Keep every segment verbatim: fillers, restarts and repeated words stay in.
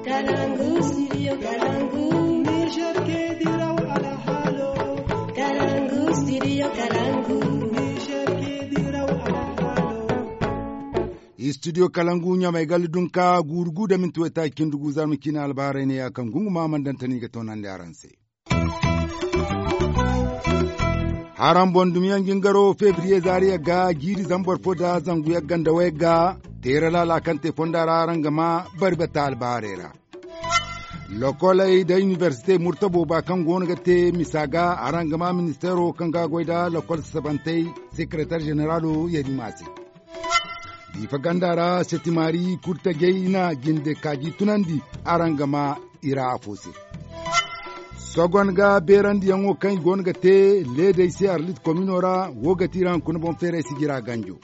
Kalangu, studio Kalangu. Niger ke diraw alhalo. Kalangu, studio Kalangu. Niger ke diraw alhalo. Studio Kalangu ɲamay galla dunka guuru gu da minti waytaaci cindi gu zarma ciine albaharay ne ya kaŋ gunguma mana daŋ tani ga toonandi araŋ se. Haraŋ boŋ dumi yaŋ jingaro febriye zaari yagga jiiri zambar fo nda zangu yagga nda wayagga teera laala kaŋ te fonda ra araŋ ga ma bari bata albaharay ra. Lokoley nda inibersite murtabo ba kaŋ go no ga te misa ga araŋ ga ma ministeero kaŋ ga goy nda lokol sasabantey sekeretar zeneralo yarima se. Diifa ganda ra setimaari kurtajey na jinde kaaji tunandi araŋ ga ma i ra afo se. Sogon ga beerandiyaŋo kaŋ i go no ga te leedey se arlit komino ra wo ga ti iri haŋ kuna boŋ feeray sijira ganjo.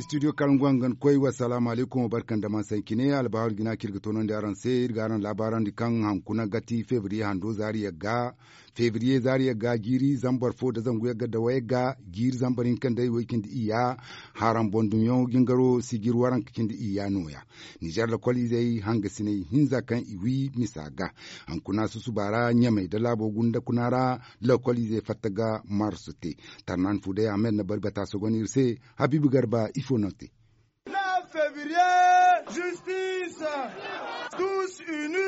Studio kalangu hangan koy wassalaamu alaykum wa barka nda man sancine albahawar jina kaŋ iri ga toonandi araŋ se iri ga araŋ laabaarandi kaŋ haŋ kuna ga ti febriye hando zaari yagga. Febriye zaari yagga jiiri zambar fo nda zangu yagga nda wayagga jiiri zambar hinka nda way cindi iyya. Haraŋ boŋ dumiyaŋo jingaro sijir waranka cindi iyya nooya. Nizer lokol izey hangasiney hinza kaŋ i wi misa ga hankuna susuba ra ɲamey nda laabo gunda kuna ra. Lokol izey fatta ga marsu te. Tarnan fu day ahmed na bari bata sogon iri se. Habiibu garba ifo no te.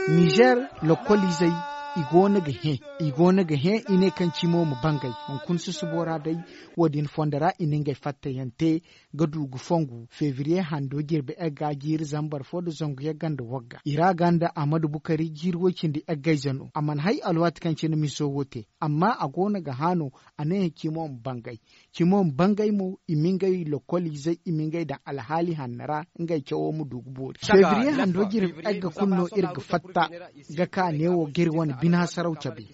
Nizer lokol izey i go no ga hẽ i go no ga hẽ i ne kaŋ cimo ma bangay hunkuna susubo ra day. Wo- din fondo ra i na ngey fattayaŋ te ga du ga fongu febriye hando jirbi egga jiiri zambar fo nda zangu yagga nda wagga i ra ga nda ahmadu bukari jiiri way- cindi eggayze no a mana hay alwaati kaŋ cine miso wo te. Amma a go no ga hã no a ne cimo ma bangay. Cimo ma bangay mo i ma ngey lokoliizey i ma ngey daŋ alhaali hanno ra. Ngey cawo ma du ga boori febriye hando jirbi egga kulu no iri ga fatta ga ka neewo ga iri wane bine hasaraw cabe.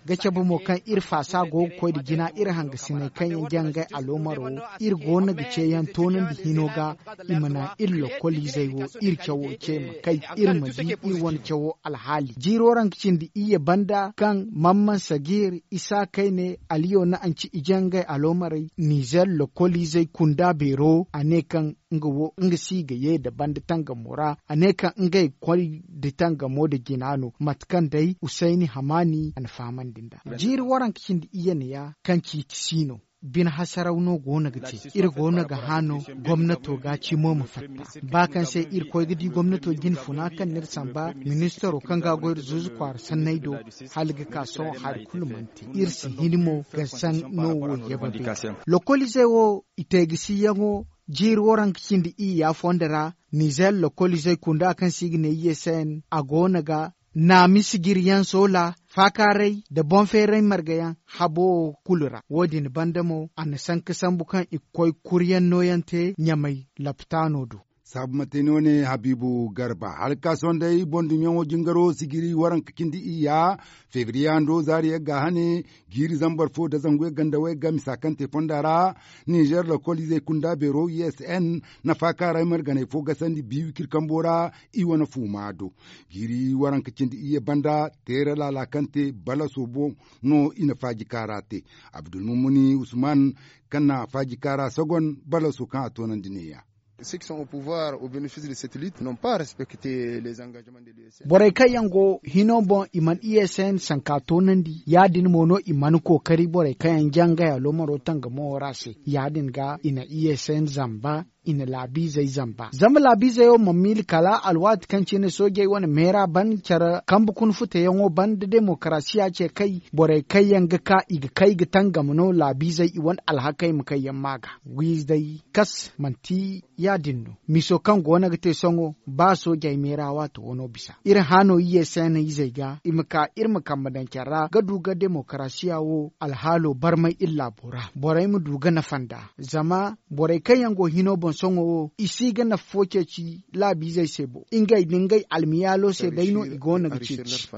Ga cabe mo kaŋ iri faasa go ga koy nda jina iri hangasiney kaŋ yaŋ jaŋ ngey aloomaro wo iri go no ga ceeyaŋ toonandi hino ga. I ma naŋ iri lokoliizey wo iri cawo ce ma kay iri ma di iri wane cawo alhaali jiiro ra nga cindi iyye banda kaŋ mamman sagir isa kayne aliyo na anci i jaŋ ngey aloomarey nizer lokoliizey kunda beero a ne kaŋ nga wo nga si ga ye nda banda tangamo ra a ne kaŋ ngey koy nda tangamo nda jina no mate kaŋ day usayni hamaani a na fahamandi nd'a. Jiiri waranka cindi iyye ne ya kaŋ ciiti si no. Bine hasaraw no go no ga te iri go no ga hã no gomnato ga cimo ma fatta ba kaŋ se iri koy ga di gomnato jinfuna kaŋ n'iri samba ministaro kaŋ ga goy nda zuuzu kwaara sanney do hala ga ka sohõ hari kulu mana te iri si hin mo ga saŋ no wo yabe bay. Lokoliizey wo i te ga siyaŋo jiiri waranka cindi iyya fondo ra nizer lokoliizey kunda kaŋ se i ga ne i ye se yaŋ a go no ga naami sijiriyaŋ soola faakaaray nda boŋ feeray margayaŋ habo wo kulu ra wo- din banda mo a na sanka sambu kaŋ i ga koy kuryaŋ nooyaŋ te ɲamay laptaano do. Saabu mate no ne habiibu garba hala ga ka sohõ day boŋ dumiyaŋo jingaro sijiri waranka cindi iyya febriye hando zaari yagga hane jiiri zambar fo nda zangu yagga nda wayagga misa kaŋ te fonda ra nizer lokoliizey kunda beero usn na faakaaray marganey fo gasandi bi wikir kambo ra. I wane fuuma do jiiri waranka cindi iyye banda teera laala kaŋ te balaso boŋ no i na faaji kaara te. Abdulmumuni usman kaŋ na faaji kaara sogon balaso kaŋ a toonandi ne- ya. Ceux qui sont au pouvoir au bénéfice de cette lutte n'ont pas respecté les engagements de l'usn. Borey kaŋ yaŋ go hino boŋ i mana usn sanka toonandi ya- din mo no i mana kookari borey kaŋ yaŋ jaŋ ngey aloomaro tangamo ra se ya- din ga i na usn zamba. I na laabiizey zamba zama laabiizey wo mana miila kala alwaati kaŋ cine soojey wane meera ban care kambe kuna futeyaŋo banda demokarasiya ce kay borey kaŋ yaŋ ga ka i ga kay ga tangam no laabiizey i wane alhakey ma kay yaŋ ma ga wiiza day kas manti ya- din no. Miso kaŋ go no ga te sohõ ba soojey meera waato wano bisa iri hã no iyye se no izey ga i ma ka iri ma kambe daŋ care ra ga du ga demokarasiya wo alhaalo barmay iri laabo ra borey ma du ga nafa nd'a. Zama borey kaŋ yaŋ go hino boŋ sohõ wo i si ga nafa fo ceeci laabiizey se bo ngey nda ngey almiyaalo se day no i go no ga ceeci.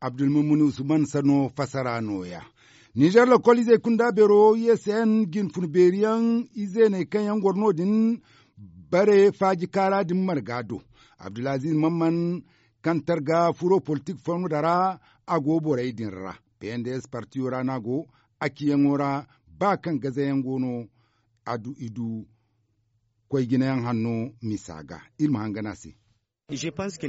Abdulmumuni usman sano fasara nooya. Nizer lokoliizey kunda beero usn jinfun beeri yaŋ izeeney kaŋ yaŋ goro no- din bare faaji kaara din marga do. Abdulaziz mamman kaŋ targa furo politik fonda ra a go borey din ra pnds partiyo ra no a go. A ciyaŋo ra ba kaŋ gazayaŋ go no a du i du. koy jinayaŋ hanno misa ga. Iri ma hangan a se.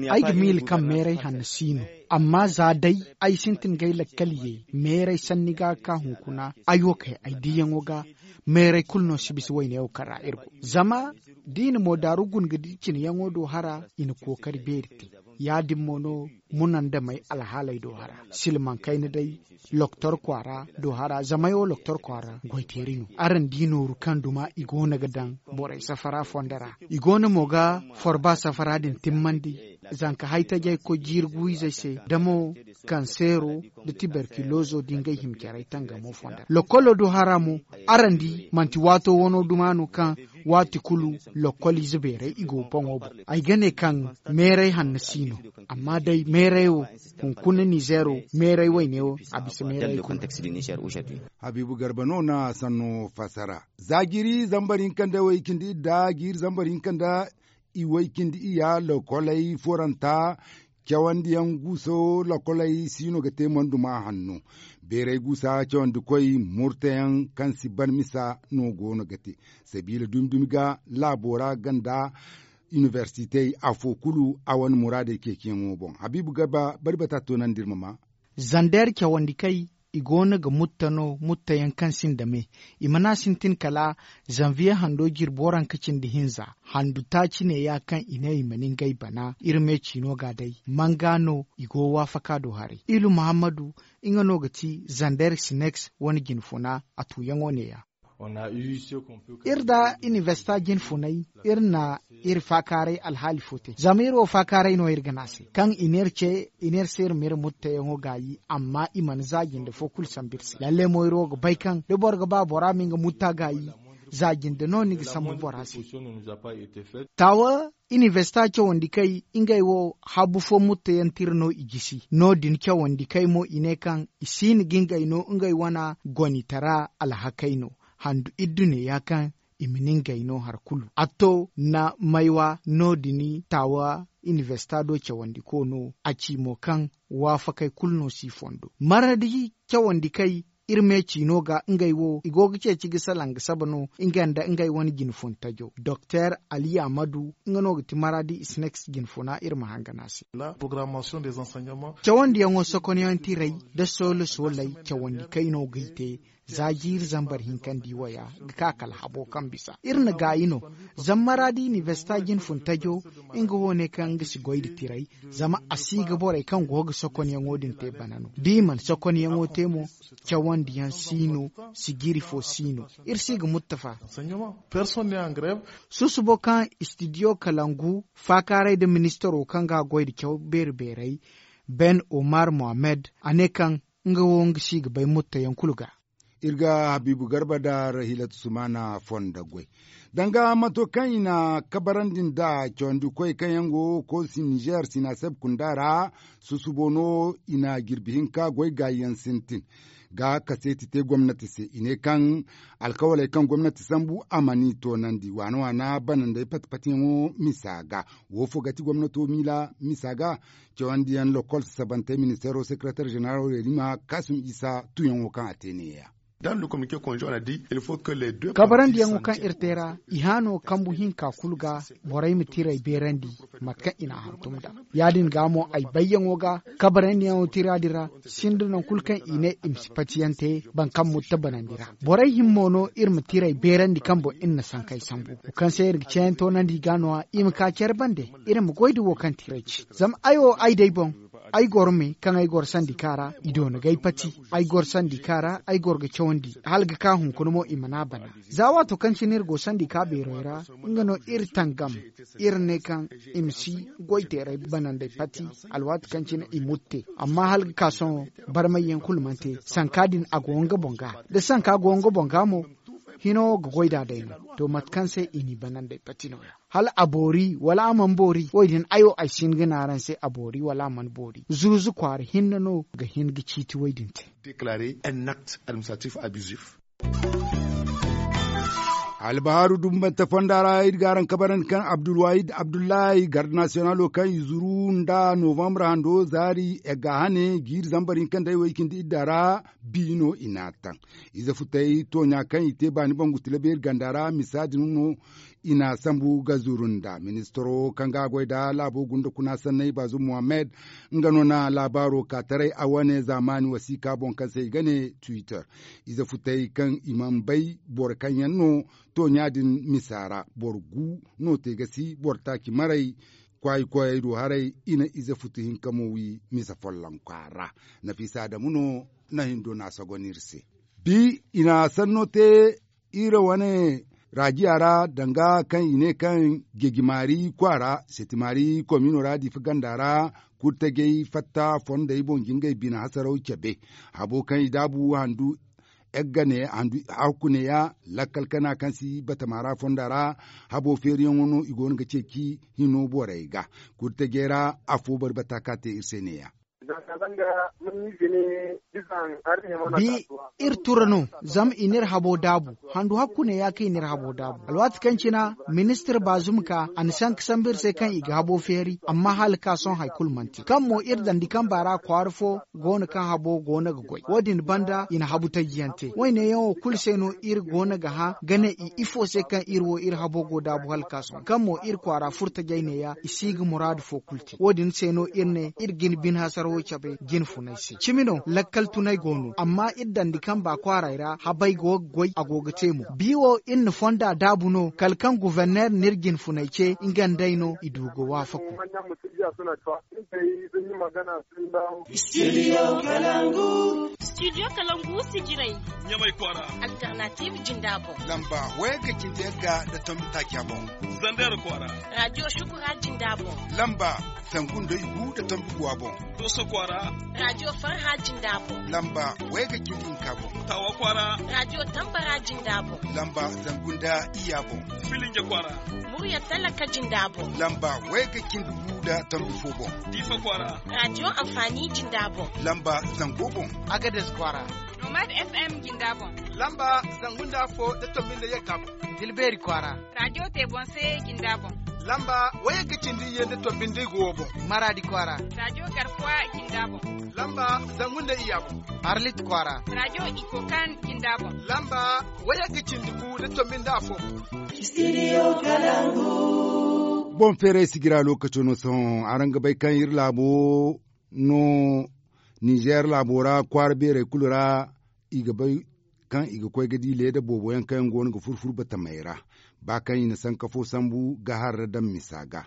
Ay ga miila kaŋ meeray hanno si no. Amma za day ay sintin ga ay lakkal ye meeray sanni ga ka hunkuna, ay wo kay ay diiyaŋo ga. Meeray kulu no si bisa wayne wo kaŋ ra iri go. Zama da i na moodaaru guna ga di cinayaŋo do hara, i na kookari beeri te. Ya- din mo no munandamey alhaaley do hara, silmaŋ kayna day loktor kwaara do hara. Zamey wo loktor kwaara goyteeri no. Araŋ di nooru kaŋ duma i go no ga daŋ borey safara fondo ra. I go no mo ga forba safara din timmandi, zanka haytajey koy jiiri guwizey se, da mo kanseero, da tiberkilozo da ngey hima caray tangamo fondo ra. Lokkolo do hara mo, araŋ di manti waato wano duma no kaŋ waati kulu lokkoliize beeray i go boŋo boŋ. Ay ga ne kaŋ meeray hanno si no. Amma day meeray wo, hunkuna nizeero meeray wayne wo, a bisa meeray kulu. Habiibu garba no na sanno fassara. Za jiiri zambar hinka nda way cindi idda jiiri zambar hinka nda iway cindi iya lokoley foranta, cawandiyaŋ guuso lokoley si no ga te manduma hanno. Beeray guusa cawandikoy murtayaŋ kaŋ si ban misa no go no ga te sabiila dumi dumi ga laabo ra ganda inibersitey afo kulu a wane muraadey ceeciyaŋo boŋ. Habiibu garba bari bata toonandi iri ma maa. Zander cawandikey, i go no ga mutta no mutta yaŋ kaŋ sinda me. I mana sintin kala zanviye hando jirbi waranka cindi hinza handu taaci neeya kaŋ i ne i ma ni ngey bana iri me ciino ga day. Manga no i go waafaka do haray ilu muhammadu, nga no ga ti zander sinex wane jinfuna a tuuyaŋo neeya. Iri da inibersita jinfunay, iri na iri faakaaray alhaali fo te zama iri wo faakaaray no iri ga ne a se kaŋ i ne iri ce, i ne iri se iri ma iri mutteyaŋo gaayi amma i mana za jinde fo kulu sambu iri se lalle mo iri wo ga bay kaŋ da boro ga ba bora ma nga mutta gaayi, za jinde no ni ga sambu bora se. Taawa inibersita cawandi kay ngey wo habu fo mutta yaŋ tira no i gisi no- din cawandi kay mo i ne kaŋ i si hin ga ngey no ngey wane gonitara alhakey no. Handu iddu neeya kaŋ i ma nin gay no hari kulu a to na maywa no- din taawa inibersita do cawandi ko no a ci mo kaŋ waafakey kulu no si fondo maradi cawandi kay. Iri me ciino ga ngey wo i go ga ceeci ga salaŋ ga saba no nga nda ngey wane jinfuntajo doktor ali amadu nga no ga ti maradi isnex jinfuna iri ma hangan a se. Cawandiyaŋo sokonyaŋ tiray da soolo sooley cawandi kay no ga i te. Za jiiri zambar hinka nda i waya ga ka kala habo kaŋ bisa iri na gaayi no. Zama maradi inibersita jinfuntajo nga wo ne kaŋ nga si goy nda tiray zama a si ga borey kaŋ go ga sokonyaŋo din te bana no da i mana sokonyaŋo te mo. Cawandiyaŋ si no. Sijiri fo si no. Iri si ga muttafa. Susubo kaŋ istidiyo kalangu faakaaray nda ministaro kaŋ ga goy nda caw beeri beeray ben omar mohammed a ne kaŋ nga wo nga si ga bay muttayaŋ kulu ga. Iri ga habiibu garba nda rahilatu sumaana fondo goy danga mato kaŋ i na kabarandi nd'a cawandi koy kaŋ yaŋ go koosi nizeer sinaseb kunda ra. Susubo no i na jirbi hinka goy gaayi yaŋ sintin ga kaseeti te gomnati se i ne kaŋ alkawaley kaŋ gomnati sambu a mana i toonandi waana waana banandey pati patiyaŋo misa ga. Wo fo ga ti gomnato miila misa ga. Cawandiyaŋ lokol sasabantey ministeero sekereteer zeneralo reerima kaasum isa tuuyaŋo kaŋ a te neeya. Kabarandiyaŋo kaŋ iri te ra i haano kambu hinka kulu ga borey ma tiray beerandi mate kaŋ i n'a hantum nd'a. Ya- din ga mo ay bayyaŋo ga kabarandiyaŋo tira din ra sinda nangu kulu kaŋ i ne i ma si patiyaŋ te boro kaŋ mutta banandi ra. Borey himmo no iri ma tiray beerandi kaŋ boŋ iri na sankey sambu wo kaŋ se iri ga ceeyaŋ toonandi i ga no- ya i ma ka care bande. Iri ma goy nda wo kaŋ tiray ci zama ay wo ay day boŋ ay goro me kaŋ ay goro sandika ra i doona ga ay pati. Ay goro sandika ra ay goro ga cawandi hala ga ka hunkuna mo i mana a bana. Za waato kaŋ cine iri go sandika beerey ra nga no iri tangam iri ne kaŋ i ma si goy teeray banandey pati. Alwaati kaŋ cine i mutte amma hala ga ka sohõ barmayyaŋ kulu mana te sanka din a go nga boŋ ga da sanka go nga boŋ ga mo hino wo ga goy nd'a day no. To mate kaŋ se i n'i banandey pati nooya hala a boori wala a mana boori wo- din ay wo ay si hin ga ne araŋ se a boori wala a mana boori zuuzu kwaara hinne no ga hin ga ciiti wo- din te. Albahaaru dumbante fonda ra iri ga araŋ kabarandi kaŋ abdulwahid abdullahi garde nasiyonalo kaŋ i zuru nda novambre hando zaari egga hane jiiri zambar hinka nda ay way cindi idda ra. Biino i n'a taŋ ize futay tooɲa kaŋ i te baani bangu tila beeri ganda ra misa din no. I n'a sambu ga zuru nda ministaro kaŋ ga a goy da laabo gunda kuna sanney baazum muhammad. Nga no na laabaaro ka taray a wane zaamaani wasiika boŋ kaŋ se i ga ne twitter. Ize futay kaŋ i mana bay boro kaŋ yaŋ no tooɲa din misa ra boro gu no te ga si boro taaci maray. Kwaayi koyey du haray i na ize futu hinka mo wi misa folloŋ kwaara. Nafiisa adamu no na hindo n'a sogon iri se. Bi i na sanno te iri wane raajiya ra danga kaŋ i ne kaŋ jeji maari kwaara seti maari komino ra diifa ganda ra. Kurtajey fatta fondey boŋ jingay bine hasaraw cabe habo kaŋ i daabu handu. Egga ne handu hakku neeya lakkal kana kaŋ si batama ra fonda ra. Habo feeriyaŋo no i go no ga ceeci hino borey ga. Kurtajey ra afo barbata ka te iri se neeya. Bi iri tura no zama i n'iri habo daabu. Handu hakku ne ya kaŋ i n'iri habo daabu alwaati kaŋ cina ministir baazum ka a na sanka sambu iri se kaŋ i ga habo feeri amma hala ka sohõ hari kulu mana te kaŋ mo iri dandi kamba ra kwaara fo go no kaŋ habo go no ga goy wo- din banda i na habu taji yaŋ te wayne yaŋo kulu se no iri go no ga hã ga ne i ifo se kaŋ iri wo iri habo go daabu hala ka sohõ kaŋ mo iri kwaara furo tajay ne ya i si ga muraadu fo kulu te wo- din se no iri ne iri ga ni bine hasarawo cabe jine funay se cimi no lakkal tunay go no amma iri dandi kamba kwaaray ra habay go ga goy a go ga te mo bi wo iri na fonda daabu no kala kaŋ guverner n'iri jine funay ce nga nd'ay no i du ga waafaku. Studio kalangu sijirey ɲamay kwaara. Alternative jinda boŋ lamba wayga cindi yagga da tombi taaca boŋ. Zandar kwaara. Radio shukura jinda boŋ lamba zangu nda igu da tombi guwa boŋ. Doso kwaara. Radio farha jinda boŋ lamba wayga cindi hinka boŋ. Tawa kwaara. Radio tambara jinda boŋ lamba zangu nda iya boŋ. Filinja kwaara. Murya talaka jinda boŋ lamba wayga cindi gu da tombi fo boŋ. Diifa kwaara. Radio amfani jinda boŋ lamba zango boŋ. Agades kwaara. Nomad fm jinda boŋ lamba zangu nda afo da tombi nda yagga boŋ. Tilbeeri kwaara. Radio te boŋ se jinda boŋ lamba wayagga cindi iyye nda tombi nda igu wo boŋ. Maraadi kwaara. Radio garkuwa jinda boŋ lamba zangu nda iyya boŋ. Arlit kwaara. Radio ikokan jinda boŋ lamba wayagga cindi gu da tombi nda afo boŋ. Boŋ feeray sijira lookaco no sohõ araŋ ga bay kaŋ iri laabo no. Ninzeer laabo ra kwaara beerey kulu ra i ga bay kaŋ i ga koy ga di leeda boobo yaŋ kaŋ yaŋ go no ga furfur batamey ra. Ba kaŋ i na sanka fo sambu ga har ra daŋ misa ga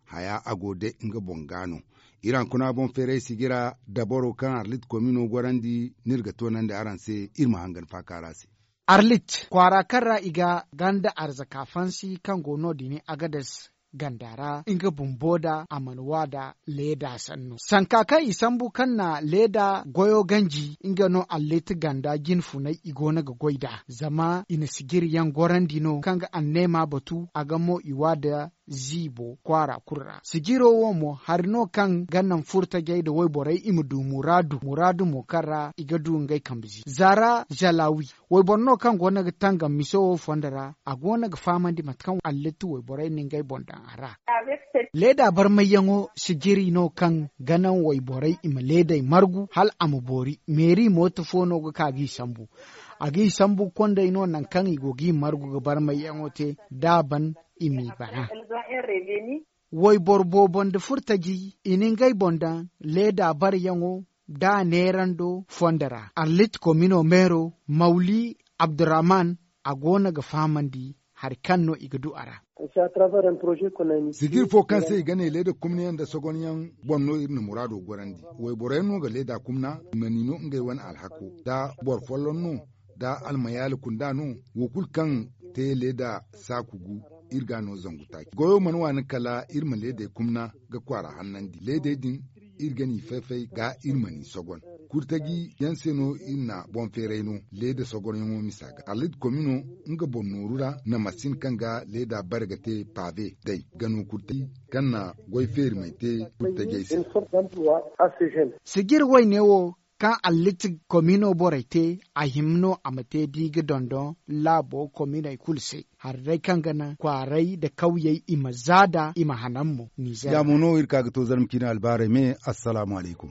haya a go day nga boŋ ga no. Iri hankuna boŋ feeray sijira dabaro kaŋ arlit komino gorandi no iri ga toonandi araŋ se iri ma hangan faaka ra se. Arlit kwaara kaŋ ra i ga ganda arzaka fansi kaŋ go no- din agades ganda ra nga bumbo da a mana wa da leeda sanno sanka kaŋ i sambu kaŋ na leeda goyo ganji nga no allit ganda jine funay i go no ga goy nd'a zama i na sijiri yaŋ gorandi no kaŋ ga anneema batu a ga mo i wa da ziibo kwaara kulu ra sijiro wo mo hari no kaŋ ga naŋ furtajey nda wayborey i ma du muraadu muraadu mo kaŋ ra i ga du ngey kambe zi zaara zalawi wayboro no kaŋ go no ga tangam mise wo fondo ra a go no ga fahamandi mate kaŋ allatti wayborey na ngey boŋ daŋ a ra. Leeda barmayyaŋo sijiri no kaŋ ga naŋ wayborey i ma leedey margu hala a ma boori meeri mooto fo no ga ka g'i sambu a g'i sambu kondey no nangu kaŋ i go g'i margu ga barmayyaŋo te da a ban i m'i bana. Wayboro boobo nda furtaji i na ngey boŋ daŋ leeda bareyaŋo da a neerando fondo ra arlit komino meero mawli abdurrahman a go no ga fahamandi hari kaŋ no i ga du a ra. Sijir fo kaŋ se i ga ne leeda kumnayaŋ nda sogonyaŋ boŋ no iri na muraado gorandi. Wayboro yaŋ no ga leeda kumna i ma ni no ngey wane alhako da boro folloŋ no da almayaali kunda no wo kulu kaŋ te leeda saaku gu iri ga a no zangu taaci goyo mana waani kala iri ma leedey kumna ga kwaara hannandi leedey din iri ga n'i fay-fay ga iri ma n'i sogon. Kurtaji yaŋ se no iri na boŋ feeray no leeda sogonyaŋo misa ga arlit komino nga boŋ nooru ra na masin kaŋ ga leeda bare ga te paabe day ga no kurtaji kaŋ na goy feeri may te kurtajey se. Sijir wayne wo kaŋ alliti komino borey te, a hima no a ma te da i ga dondon laabo kominey kulu se. Hari day kaŋ ga naŋ kwaaray nda kawyey i ma zaada i ma hanan mo nizer. Ya mo no iri ka ga to zarma ciine albaarey me. Assalaamu alaykum.